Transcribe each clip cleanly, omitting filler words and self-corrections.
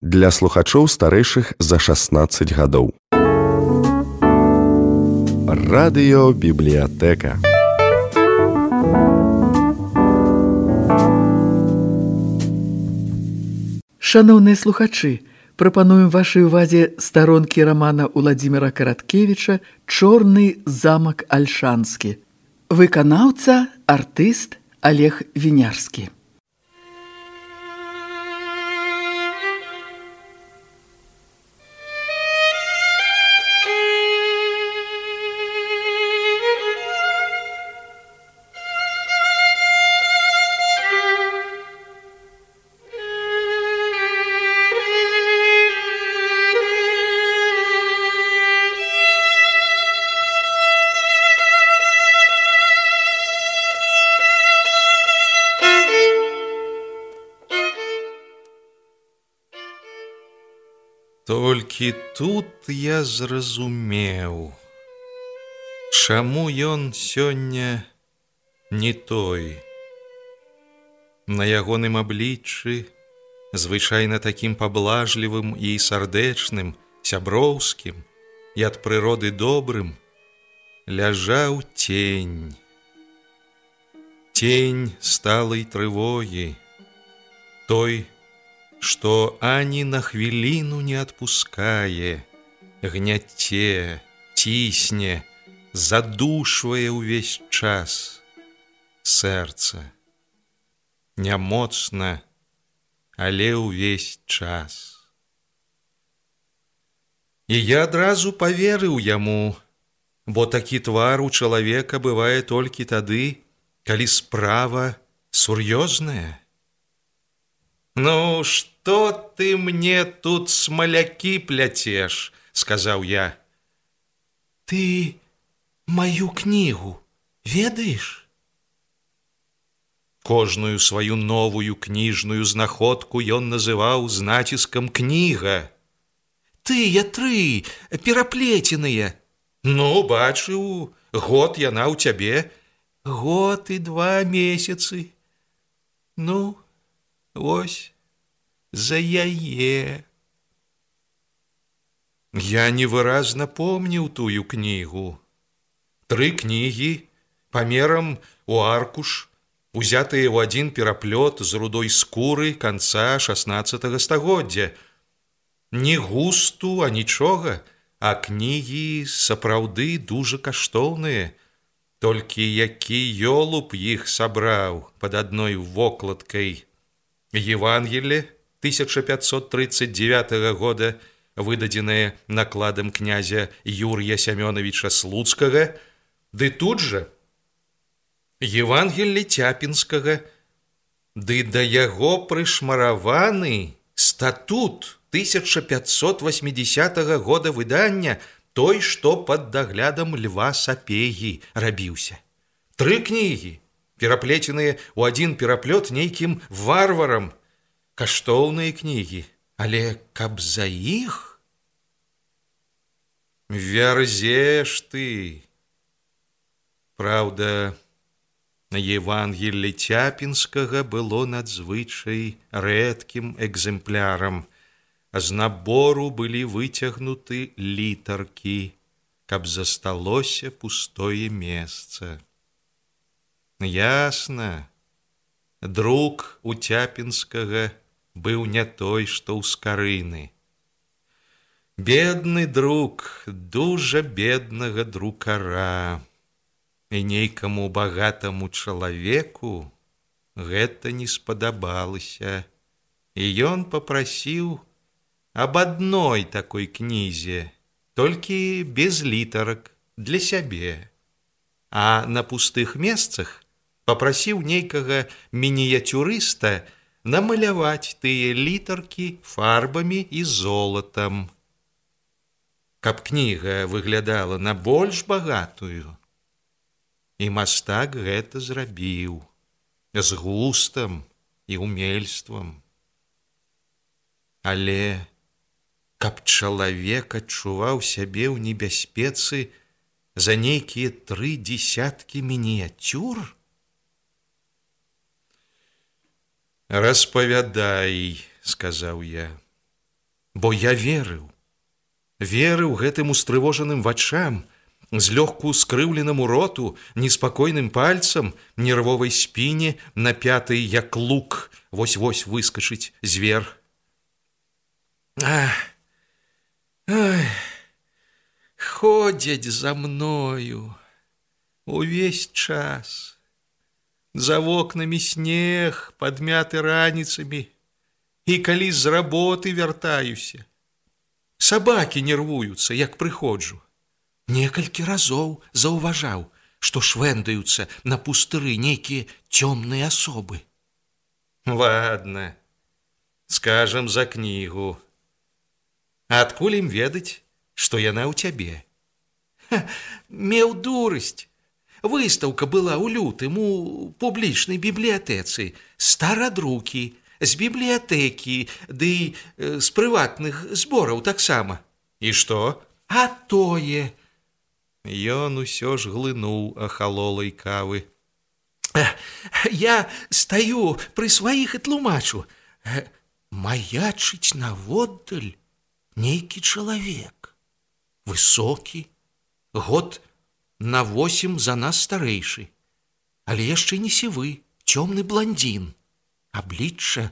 для слухачоў старэйшых за 16 гадоў. Радыёбібліятэка. Шаноўныя слухачы, прапануем вашай увазе старонкі рамана Уладзіміра Караткевіча «Чорны замак Альшанскі». Выканаўца, артыст Олег Вінярскі. Толькі тут я зразумеў, чаму ён сёння не той. На ягоным абліччы, звычайна такім паблажлівым і сардэчным, сяброўскім і ад прыроды добрым, ляжаў тень. Тень сталай трывогі, той, што ані на хвіліну не адпускае, гняце, цісне, задушвае ўвесь час сэрца. Нямоцна, але ўвесь час. І я адразу паверыў яму, бо такі твар у чалавека бывае толькі тады, калі справа сур'ёзная. «Ну, што ты мне тут смалякі пляцеш?» – сказаў я. «Ты маю кнігу ведаеш?» Кожную сваю новую кніжную знаходку ён называў з націскам «кніга». «Тыя тры, пераплеценыя». «Ну, бачыў, год яна ў цябе». «Год і 2 месяцы». «Ну, вось за яе». Я невыразна помніў тую кнігу. 3 кнігі, памерам у аркуш, узятыя ў адзін пераплёт з рудой скуры канца 16 стагоддзя. Ні густу, а нічога, а кнігі сапраўды дужа каштоўныя. Толькі які ёлуб іх сабраў пад адной вокладкай. Евангелие 1539 года, выдадзенае накладам князя Юрія Сямёнавіча Слуцкага, ды тут жа Евангелие Цяпінскага, ды да яго прышмараваны статут 1580 года выдання, той, што пад даглядам Льва Сапегі рабіўся. 3 кнігі, пераплеценыя ў адзін пераплёт нейкім варварам. Каштоўныя кнігі, але каб за іх? Вярзеш ты. Праўда, Евангелле Цяпінскага было надзвычай рэдкім экземплярам. З набору былі выцягнуты літаркі, каб засталося пустое месца. Ясна, друк у Цяпінскага быў не той, што ў скарыны. Бедны друк, дужа беднага друкара. І нейкаму багатаму чалавеку гэта не спадабалася. І ён папрасіў аб адной такой кнізе, толькі без літарак, для сябе. А на пустых месцах папрасіў нейкага мініяцюрыста намаляваць тыя літаркі фарбамі і золатам, каб кніга выглядала на больш багатую. І мастак гэта зрабіў з густам і умельствам. Але каб чалавек адчуваў сябе ў небяспецы за нейкія 3 дзесяткі мініяцюр? «Распавядай», — сказаў я. бо я верыў гэтым устрывожаным вачам, злёгку скрыўленаму роту, неспакойным пальцам, нервовай спіне, напятай, як лук, вось-вось выскачыць звер. Ходзяць за мною увесь час. За вокнамі снег, падмяты раніцамі, і калі з работы вяртаюся. Сабакі нервуюцца, як прыходжу. Некалькі разоў заўважаў, што швэндаюцца на пустыры нейкія цёмныя асобы. Ладно, скажам за кнігу. Адкуль ім ведаць, што яна ў цябе? Меў дурасць. Выстаўка была ў лютым у публічнай бібліятэцы. Старадрукі, з бібліятэкі, ды з прыватных збораў таксама. І што? А тое. Ён усё ж глынуў ахалолай кавы. Я стаю пры сваіх і тлумачу. Маячыць наводдаль нейкі чалавек. Высокі, год на 8 за нас старэйшы, але яшчэ не сівы, цёмны бландзін. Аблічча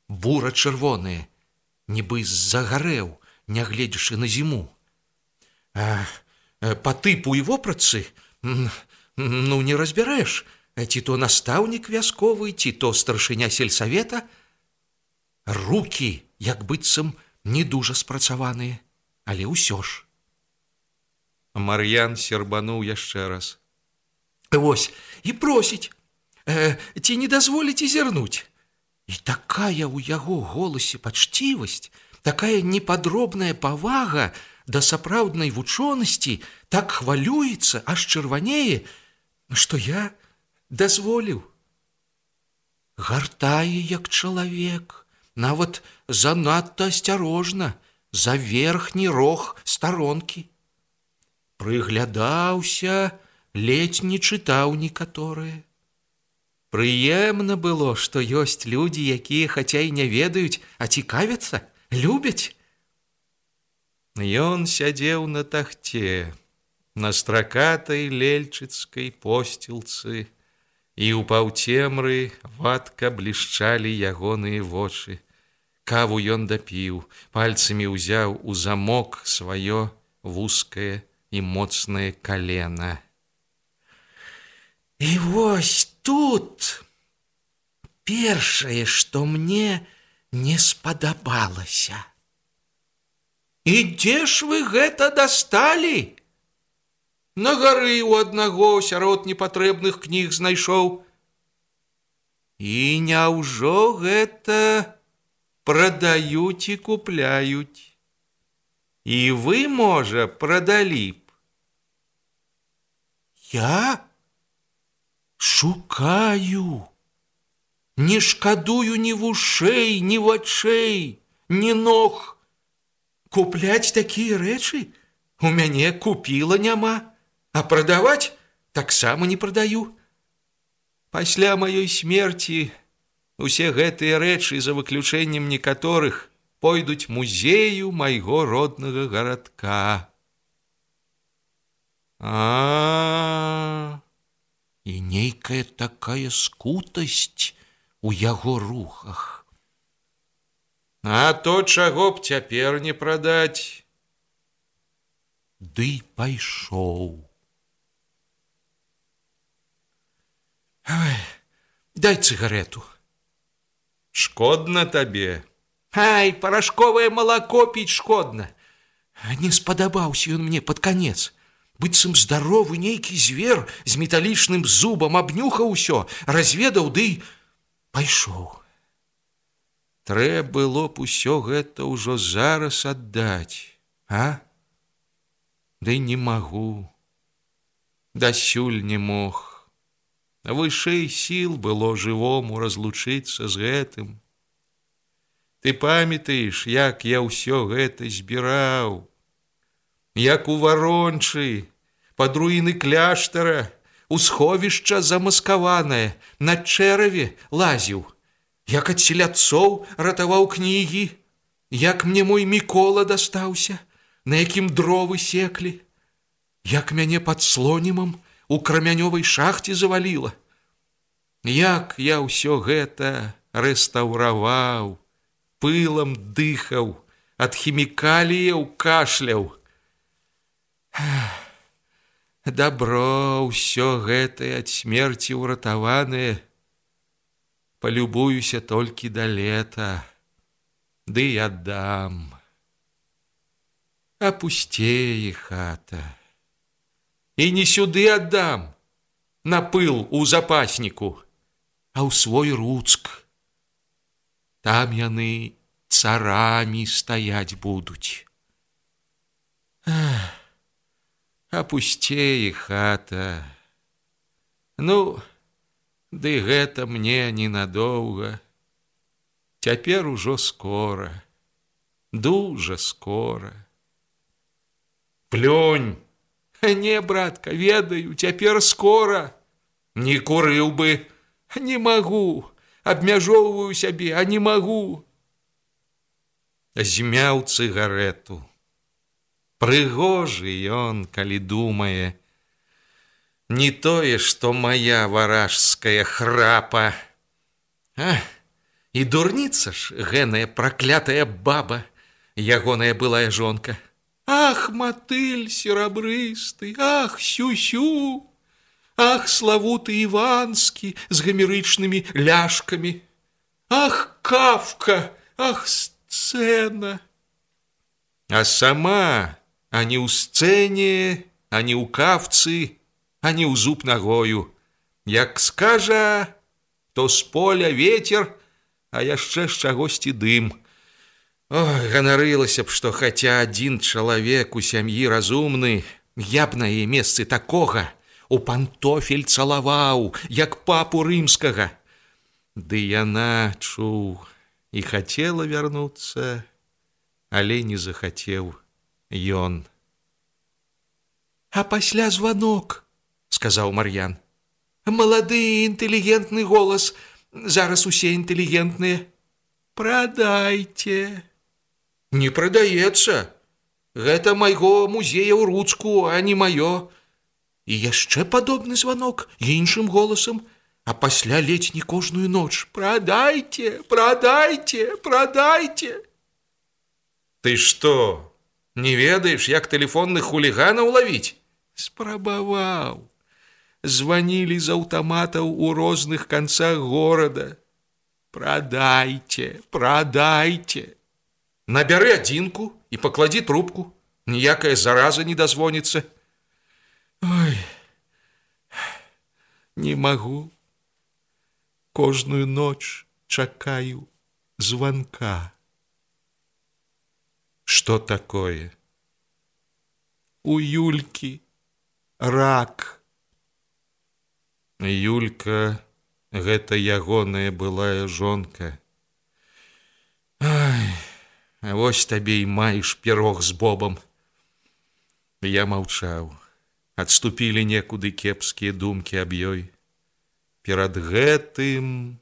бура-чырвонае, нібы загарэў, нягледзячы на зіму. Па тыпу і вопратцы, не разбярэш, ці то настаўнік вясковы, ці то старшыня сельсавета. Рукі, як быццам, не дужа спрацаваныя, але ўсё ж. Мар'ян сербануў яшчэ раз. Вось, і просіць, ці не дазволіце зірнуць. І такая ў яго голасе пачцівасць, такая непадробная павага да сапраўднай вучонасці, так хвалюецца, аж чырванее, што я дазволіў. Гартае, як чалавек, нават занадта асцярожна, за верхні рог старонкі. Прыглядаўся, ледзь не чытаў некаторыя. Прыемна было, што ёсць людзі, якія хаця і не ведаюць, а цікавяцца, любяць. Ён сядзеў на тахце, на стракатай лельчыцкай посцілцы, і ў паўцемры вадка блішчалі ягоныя вочы. Каву ён дапіў, пальцамі ўзяў у замок сваё вузкае і моцнае калена. І вось тут першае, што мне не спадабалася. І дзе ж вы гэта дасталі? На гары ў аднаго сярод непатрэбных кніг знайшоў. І няўжо гэта прадаюць і купляюць? І вы, можа, прадалі б? Я шукаю, не шкадую ні вушэй, ні вачэй, ні ног. Купляць такія рэчы? У мяне купіла няма, а прадаваць таксама не прадаю. Пасля маёй смерці усе гэтыя рэчы, за выключэннем некаторых, пойдуць музею майго роднага гарадка. І нейкая такая скутасць у яго рухах. А то чаго б цяпер не прадаць? Ды пайшоў. Дай цыгарету. Шкодна табе? Ай, парашковае малако піць шкодна. Не спадабаўся ён мне пад канец. Быццам здаровы нейкі звер з металічным зубам абнюхаў усё, разведаў, ды пайшоў. Трэ было б усё гэта ўжо зараз аддаць, а? Ды не магу. Дасюль не мог. Вышэй сіл было жывому разлучыцца з гэтым. Ты памятаеш, як я ўсё гэта збіраў? Як у варончы, пад руіны кляштара, у сховішча замаскаванае, на чэраве лазіў, як ад селядцоў ратаваў кнігі. як мне мой Мікола дастаўся, на якім дровы секлі, як мяне пад слонімам у крамянёвай шахце заваліла. Як я ўсё гэта рэстаўраваў, пылам дыхаў, ад хімікаліяў кашляў. Дабро ўсё гэтае ад смерці ўратаванае, палюбуюся толькі да лета, ды і аддам. Апусцее хата. І не сюды аддам, на пыл у запасніку, а ў свой Руцк. Там яны царамі стаяць будуць. Апусцее хата. Ну, ды гэта мне ненадоўга. Цяпер ужо скора, дужа скора. Плюнь! Не, братка, ведаю, цяпер скора. Не курыў бы, не магу, абмяжоўваю сябе, а не магу. Змяў цыгарэту. Прыгожы ён, калі думае. Не тое, што моя варажская храпа. І дурніца ж, гэная праклятая баба, ягоная былая жонка. Ах, матыль серабрысты, ах, сю-сю, ах, славуты Іванскі з гамерычнымі ляшкамі, ах, Кафка, ах, сцэна. А сама ані ў сцэне, ані ў кафцы, ані ў зуб нагою. Як скажа, то з поля ветер, а яшчэ з чагосьці дым. Ой, ганарылася б, што хаця адзін чалавек у сям'і разумны, я б на яе месцы такога у пантофель цалаваў, як папу рымскага. Ды яна, чуў, і хацела вярнуцца, але не захацеў ён. А пасля званок, сказаў Мар'ян. Малады інтэлігентны голас, зараз усе інтэлігентныя. Прадайце. Не прадаецца. Гэта майго музея ў Руцку, а не маё. І яшчэ падобны званок іншым голасам, а пасля ледзь не кожную ноч. Прадайце, прадайце, прадайце. Ты што, не ведаеш, як тэлефонных хуліганаў лавіць? Спрабаваў. Званілі з аўтаматаў у розных канцах горада. Прадайце, прадайце. Набяры адзінку і пакладзі трубку. Ніякая зараза не дазвоніцца. Ой, не магу. Кожную ноч чакаю званка. Што такое? У Юлькі рак. Юлька, гэта ягоная былая жонка. Ай, вось табе і маеш пірог з бобам. Я маўчаў. Адступілі некуды кепскія думкі аб ёй. Перад гэтым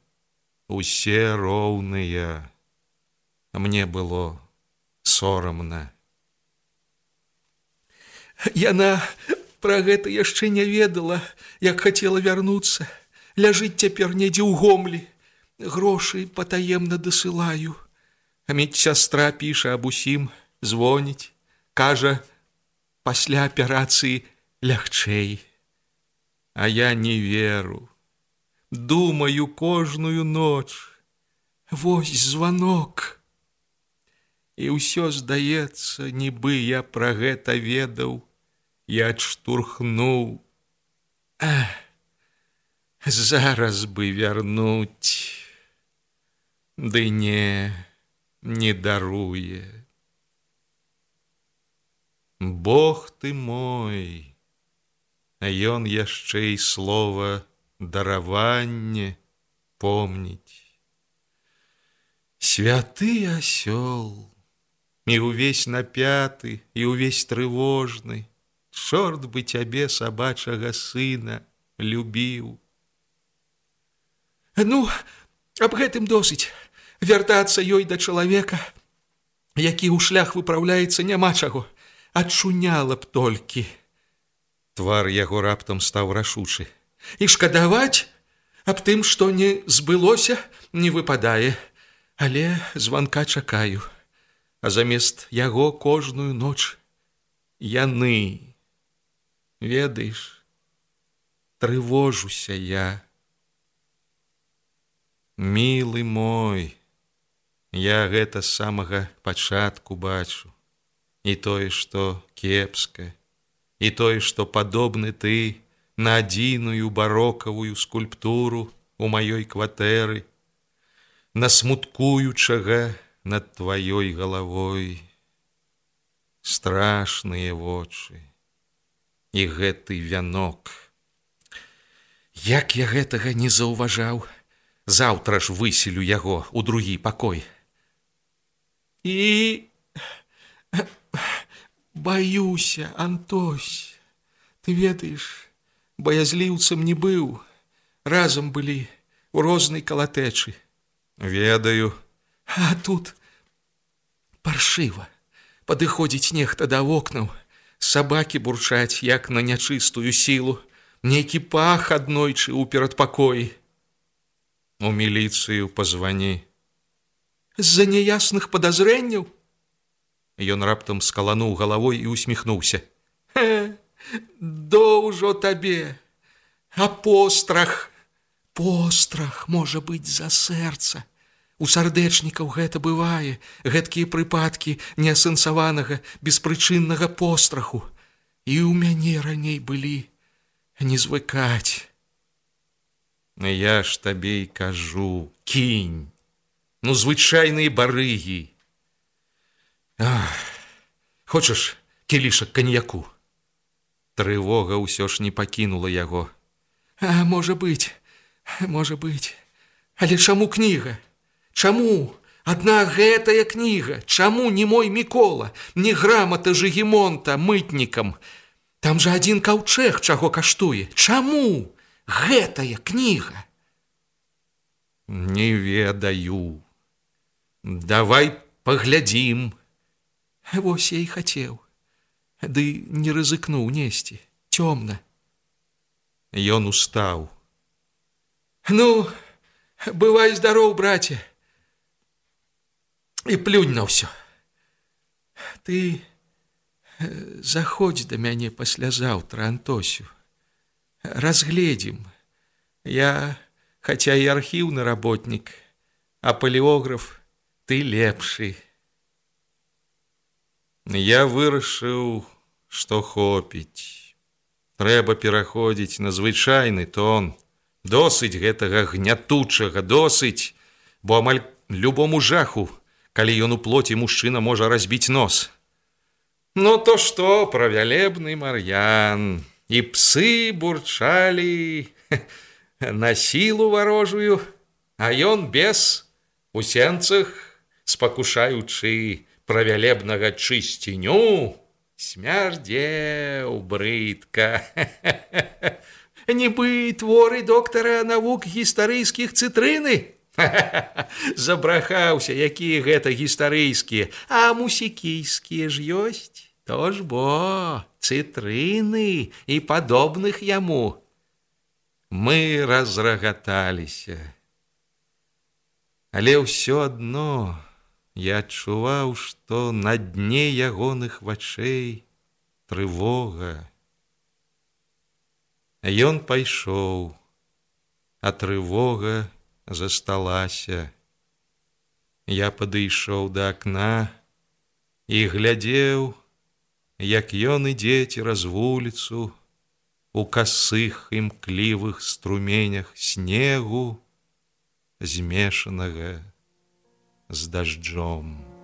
усе роўныя. Мне было сорамна. Яна пра гэта яшчэ не ведала, як хацела вярнуцца. Ляжыць цяпер недзе ў гомлі. Грошы патаемна дасылаю. А медсястра піша аб усім, звоніць. Кажа, пасля аперацыі лягчэй. А я не веру. Думаю кожную ноч. Вось званок. І ўсё здаецца, нібы я пра гэта ведаў і адштурхнуў. Зараз бы вярнуць. Ды не даруе. Бог ты мой, а ён яшчэ і слова дараванне помніць. Святы асёл, і ўвесь напяты, і ўвесь трывожны, чорт бы цябе, сабачага сына, любіў. Ну, аб гэтым досыць, вяртацца ёй да чалавека. які ў шлях выпраўляецца, няма чаго, ачуняла б толькі. Твар яго раптам стаў рашучы. І шкадаваць аб тым, што не збылося, не выпадае, але званка чакаю. А замест яго кожную ноч яны. Ведаеш, трывожуся я. Мілы мой, я гэта з самага пачатку бачу. І тое, што кепска, і тое, што падобны ты на адзіную барокавую скульптуру у маёй кватэры, на смуткуючага над тваёй галавой. Страшныя вочы і гэты вянок. Як я гэтага не заўважаў, заўтра ж выселю яго ў другі пакой. І баюся, Антось, ты ведаеш, баязліўцам не быў, разам былі у рознай калатэчы. Ведаю. А тут паршыва. Падыходзіць нехта да вокнаў, сабакі бурчаць, як на нячыстую сілу, нейкі пах аднойчы ў перадпакоі. У міліцыю пазвані. З-за няясных падазрэнняў? Ён раптам скалануў галавой і усміхнуўся. Доўжо табе, а пострах? Пострах можа быць за сэрца. У сардэчнікаў гэта бывае, гэткія прыпадкі неасэнсаванага, беспрычыннага постраху. І ў мяне раней былі, не звыкаць. Я ж табе і кажу, кінь, ну звычайныя барыгі. Хочаш кілішак каньяку? Трывога ўсё ж не пакінула яго. Можа быць, але чаму кніга? Чаму адна гэтая кніга? Чаму не мой Мікола, не грамата Жыгімонта мытнікам? Там жа адзін каўчэг чаго каштуе. Чаму гэтая кніга? Не ведаю. Давай паглядзім. Вось я і хацеў. Ды не рызыкнуў несці. Цёмна. Ён устаў. Ну, бывай здароў, браце. І плюнь на ўсё. Ты заходзь да мяне паслязаўтра, Антосю. Разгледзім. Я, хаця і архіўны работнік, а палеограф ты лепшы. Я вырашыў, што хопіць. Трэба пераходзіць на звычайны тон. Досыць гэтага гнятучага, досыць, бо амаль любому жаху, калі ён у плоці мужчына можа разбіць нос. Ну то што, правялебны Мар'ян, і псы бурчалі на сілу варожую, а ён без, у сенцах, спакушаючы правялебнага чысціню, смярдзеў брыдка. Нібы творы доктара навук гістарыйскіх цытрыны? Забрахаўся, якія гэта гістарыйскія, а мусікійскія ж ёсць. То ж бо, цытрыны і падобных яму. Мы разрагаталіся. Але ўсё адно я адчуваў, што на дне ягоных вачэй трывога. Ён пайшоў, а трывога засталася. Я падышоў да акна і глядзеў, як ён ідзе цераз вуліцу у касых імклівых струменях снегу, змешанага з дажджом.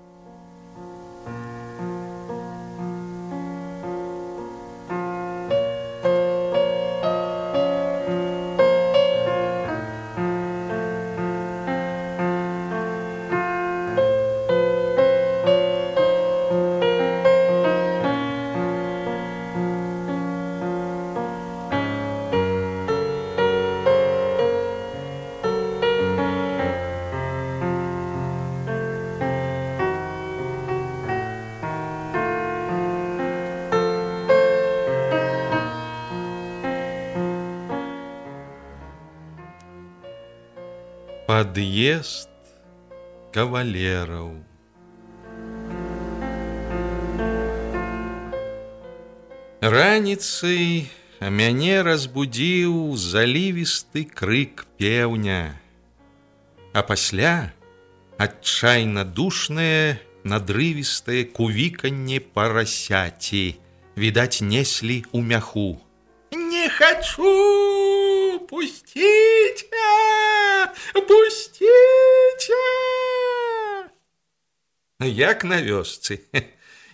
Ад'езд кавалераў. Раніцай мяне разбудзіў залівісты крык пеўня, а пасля адчайна душнае надрывістае кувіканне парасяці, відаць, неслі ў мяху. Не хачу! Пусціце! Пусціце! Як на вёсцы.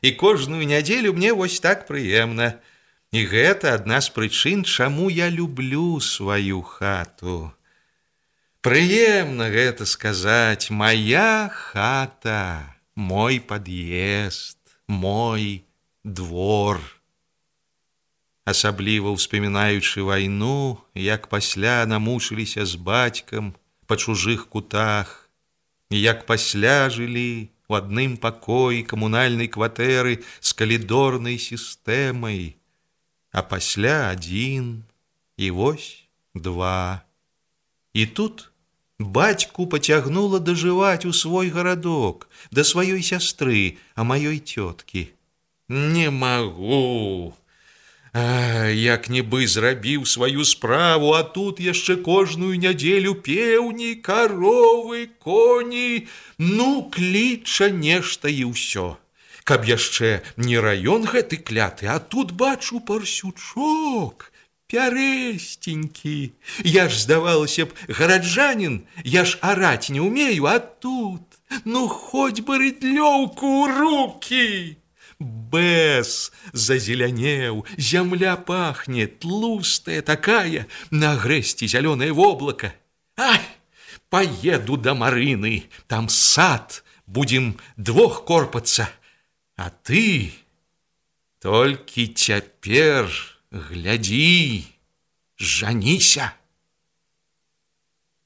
І кожную нядзелю мне вось так прыемна. І гэта адна з прычын, чаму я люблю сваю хату. Прыемна гэта сказаць: моя хата, мой пад'езд, мой двор. Асабліва ўспамінаючы вайну, як пасля намучыліся з бацькам па чужых кутах, і як пасля жылі у адным пакоі камунальнай кватэры з калідорнай сістэмай, а пасля адзін, і вось два. І тут бацьку пацягнула дажываць у свой гарадок, да сваёй сястры, а маёй цёткі. Не магу! Як-нібы зрабіў сваю справу, а тут яшчэ кожную нядзелю пеўні, каровы, коні, ну, кліча нешта і ўсё. Каб яшчэ не раён гэты кляты, а тут бачу парсючок, пярэсценькі. Я ж, здавалася б, гараджанін, я ж араць не ўмею, а тут, ну, хоць бы рыдлёўку ў рукі. Бэс зазелянеў, зямля пахне, тлустая такая, на грэсці зялёнае воблака. Ай, поеду да Марыны, там сад, будем двох корпацца. А ты толькі цяпер глядзі, жаніся.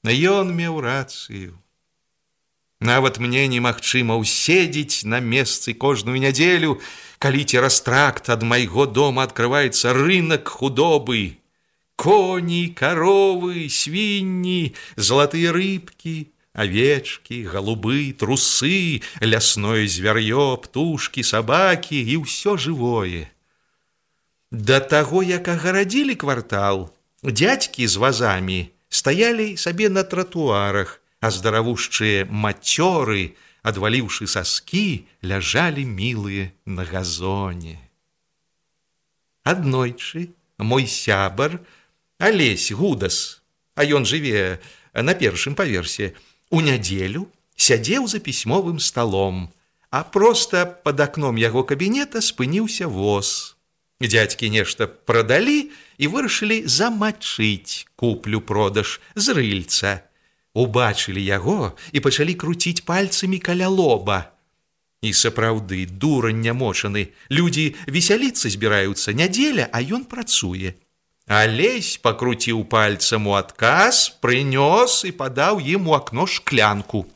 Ён меў рацыю. Нават мне немагчыма ўседзець на месцы кожную нядзелю, калі цераз тракт ад майго дома адкрываецца рынак худобы. Коні, каровы, свінні, залатыя рыбкі, авечкі, галубы, трусы, лясное звяр'ё, птушкі, сабакі і ўсё жывое. Да таго, як агарадзілі квартал, дзядзькі з вазамі стаялі сабе на тратуарах, а здаравушчыя мацёры, адваліўшы саскі, ляжалі мілыя на газоне. Аднойчы мой сябар Алесь Гудас, а ён жыве на першым паверсе, у нядзелю сядзеў за пісьмовым сталом, а проста пад акном яго кабінета спыніўся воз. Дзядзькі нешта прадалі і вырашылі замачыць куплю-продаж з рыльца. Убачылі яго і пачалі круціць пальцамі каля лоба. І сапраўды, дурань нямочаны, людзі весяліцца збіраюцца, нядзеля, а ён працуе. Алесь пакруціў пальцам у адказ, прынёс і падаў ім у акно шклянку.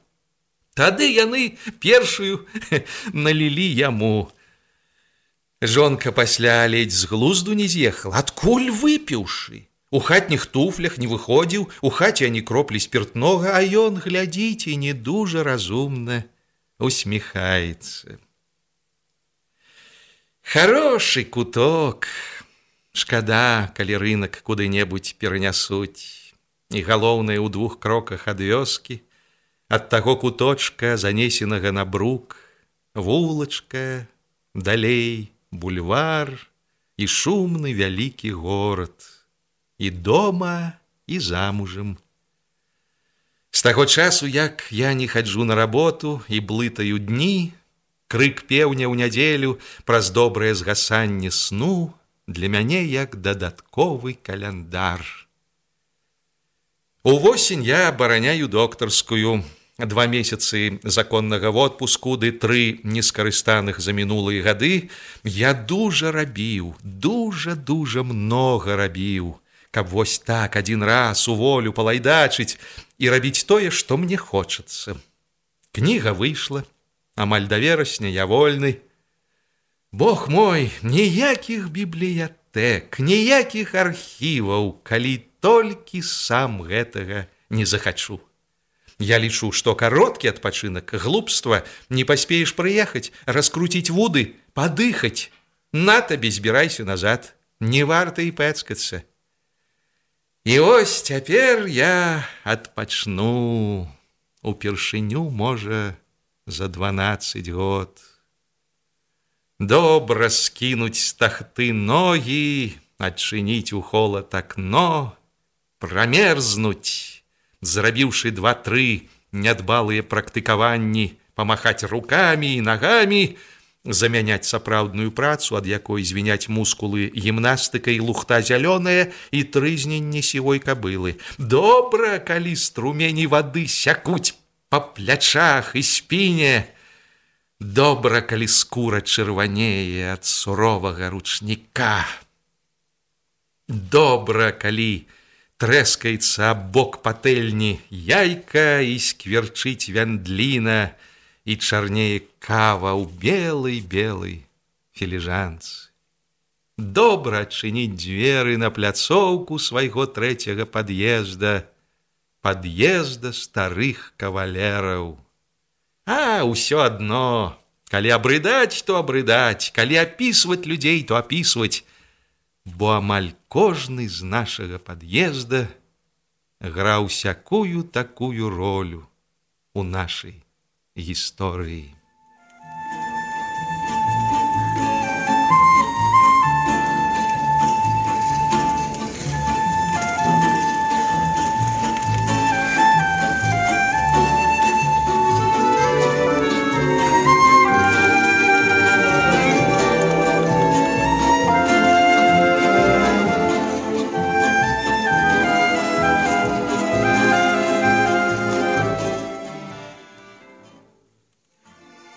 Тады яны першую налілі яму. Жонка пасля ледзь з глузду не з'ехала, адкуль выпіўшы. У хатніх туфлях не выходзіў, у хаце ані кроплі спіртнога, а ён, глядзіце, не дужа разумна усміхаецца. Хорошы куток. Шкада, калі рынак куды-небудзь перанясуць. І галоўнае, у 2 кроках ад вёскі, ад таго куточка, занесенага на брук, вулачка, далей бульвар і шумны вялікі горад. І дома, і замужам. З таго часу, як я не хаджу на работу і блытаю дні, крык пеўня ў нядзелю праз добрае згасанне сну для мяне як дадатковы каляндар. Увосень я абараняю доктарскую. 2 месяцы законнага водпуску ды 3 нескарыстаных за мінулыя гады я дужа рабіў, дужа многа рабіў, каб вось так адзін раз у волю палайдачыць і рабіць тое, што мне хочацца. Кніга выйшла, амаль да верасня я вольны. Бог мой, ніякіх бібліятэк, ніякіх архіваў, калі толькі сам гэтага не захачу. Я лічу, што кароткі адпачынак, глупства, не паспееш прыехаць, раскруціць вуды, падыхаць. На табе збірайся назад, не варта і пэцкацца. І ось цяпер я адпачну упершыню, можа, за 12 год. Добра скінуць з тахты ногі, адчыніць у холад акно, прамерзнуць, зрабіўшы 2-3 нядбалыя практыкаванні, памахаць рукамі і нагамі, замяняць сапраўдную працу, ад якой звіняць мускулы гімнастыкай, лухта зялёная і трызненне сівой кабылы. Добра, калі струмені вады сякуць па плячах і спіне. Добра, калі скура чырванее ад суровага ручніка. Добра, калі трэскаецца аб бок патэльні яйка і скверчыць вяндліна, і чарнее кава ў белай-белай філіжанцы. Добра адчыніць дзверы на пляцоўку свайго 3-го пад'езда, пад'езда старых кавалераў. А, ўсё адно, калі абрыдаць, то абрыдаць, калі апісваць людзей, то апісваць, бо амаль кожны з нашага пад'езда граў сякую такую ролю у нашай гісторыі.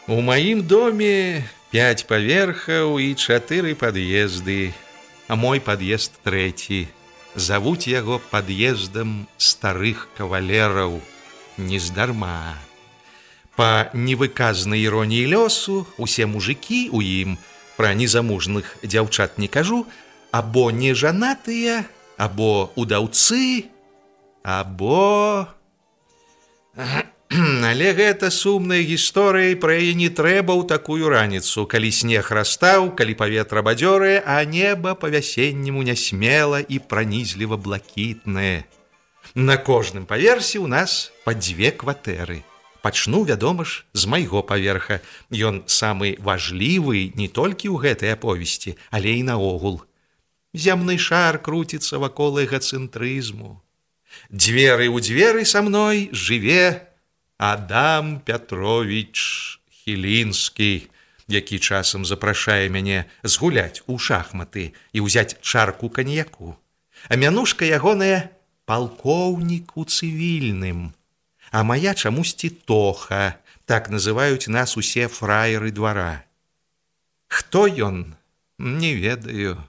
У маім доме 5 паверхаў і 4 пад'езды, а мой пад'езд 3. Завуць яго пад'ездам старых кавалераў нездарма. Па невыказнай іроніі лёсу, усе мужыкі ў ім, пра незамужных дзяўчат не кажу, або нежанатыя, або удаўцы, або... Але гэта сумная гісторыя, пра яе не трэба ў такую раніцу, калі снег растаў, калі паветра бадзёрае, а неба па-вясенняму нясмела і пранізліва блакітнае. На кожным паверсе ў нас па 2 кватэры. Пачну, вядома ж, з майго паверха. Ён самы важлівы не толькі ў гэтай аповесці, але і наогул. Зямны шар круціцца вакол эгацэнтрызму. Дзверы ў дзверы са мной жыве Адам Пятрович Хілінскі, які часам запрашае мяне згуляць у шахматы і ўзяць чарку каньяку. А мянушка ягоная палкоўнік у цывільным, а мая чамусьці Тоха, так называюць нас усе фраеры двара. Хто ён? Не ведаю.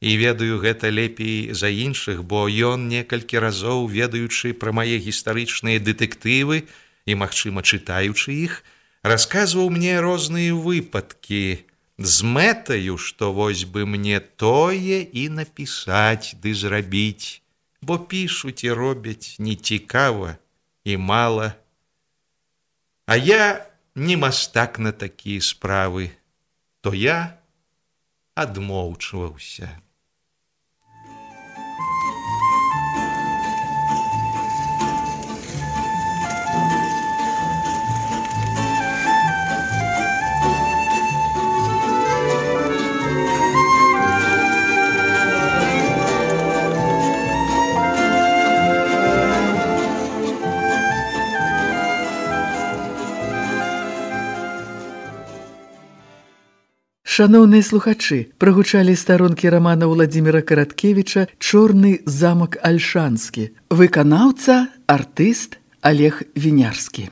І ведаю гэта лепей за іншых, бо ён некалькі разоў, ведаючы пра мае гістарычныя дэтэктывы і, магчыма, чытаючы іх, расказваў мне розныя выпадкі з мэтаю, што вось бы мне тое і напісаць ды зрабіць, бо пішуць і робяць нецікава і мала. А я не мастак на такія справы, то я адмоўчваўся. Шаноўныя слухачы, прагучалі старонкі рамана Уладзіміра Караткевіча «Чорны замак Альшанскі». Выканаўца, артыст Олег Вінярскі.